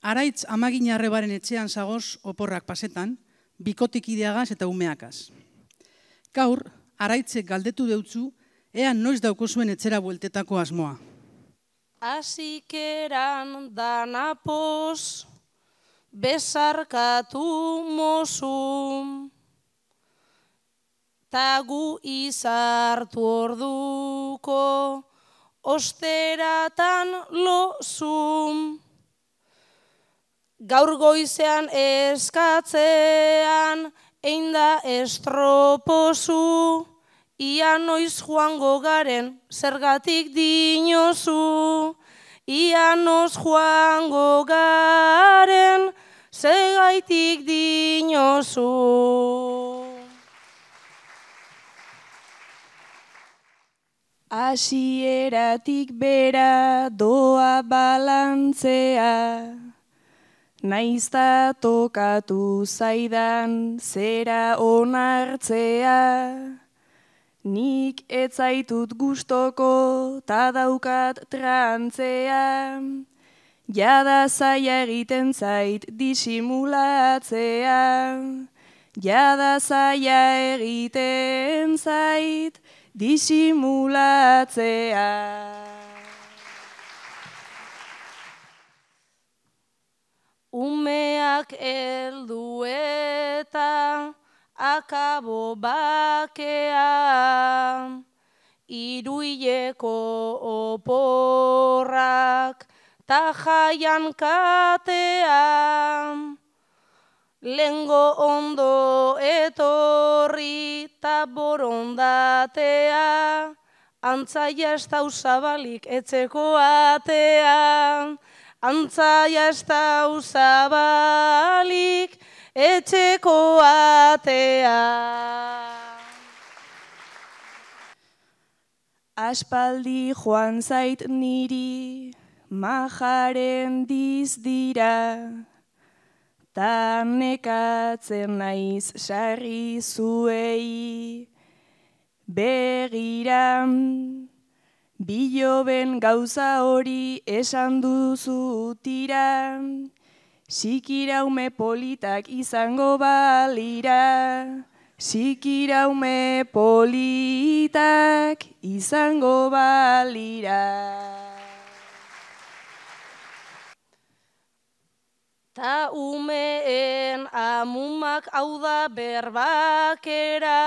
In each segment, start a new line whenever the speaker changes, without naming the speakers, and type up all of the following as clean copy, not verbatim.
Araitz Amagin Arrebaren etxean zagoz oporrak pasetan, bikotik ideagaz eta umeakaz. Gaur, Araitzek galdetu deutzu, ea noiz daukozuen etxera bueltetako asmoa.
Asikeran danapoz, bezarkatu mozum, tagu izartu orduko, osteratan lozum. Gaur goizean eskatzean, einda estropozu, ia noiz joango garen, zergatik dinozu. Ia noiz joango garen, zergatik dinozu.
Hasieratik bera doa balantzea, naizta tokatu zaidan zera onartzea. Nik etzaitut gustoko ta daukat trantzea, jada zaila egiten zait disimulatzea. Jada zaila egiten zait disimulatzea.
Umeak heldu eta akabo bakea, iruileko oporrak ta jaian katea. Lengo ondo etorri ta borondatea, antzaia ez dau zabalik etxeko atea. Antzaia ez dau zabalik etxeko atea.
Aspaldi joan zait niri majaren dizdira, ta nekatzen naiz sarri zuei begira. Biloben gauza hori esan duzu tira, sikiraume politak izango balira. Sikiraume politak izango balira.
Ta umeen amumak hau da berbakera,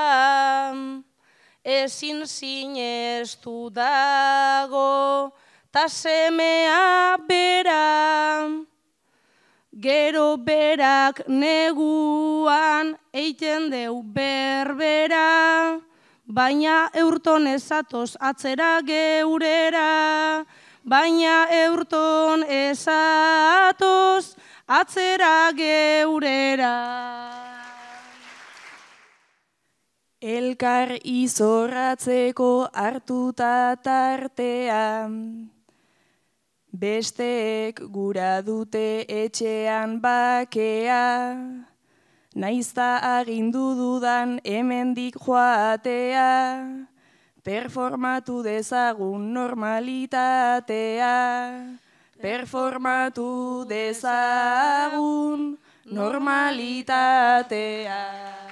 ezin sinestu dago, ta semea bera. Gero berak neguan eiten deu berbera, baina eurton ezatoz atzera geurera. Baina eurton ezatoz atzera geurera.
Elkar izorratzeko hartuta tartea, besteek gura dute etxean bakea. Naizta agindu dudan hemendik joatea, performatu dezagun normalitatea. Performatu dezagun normalitatea.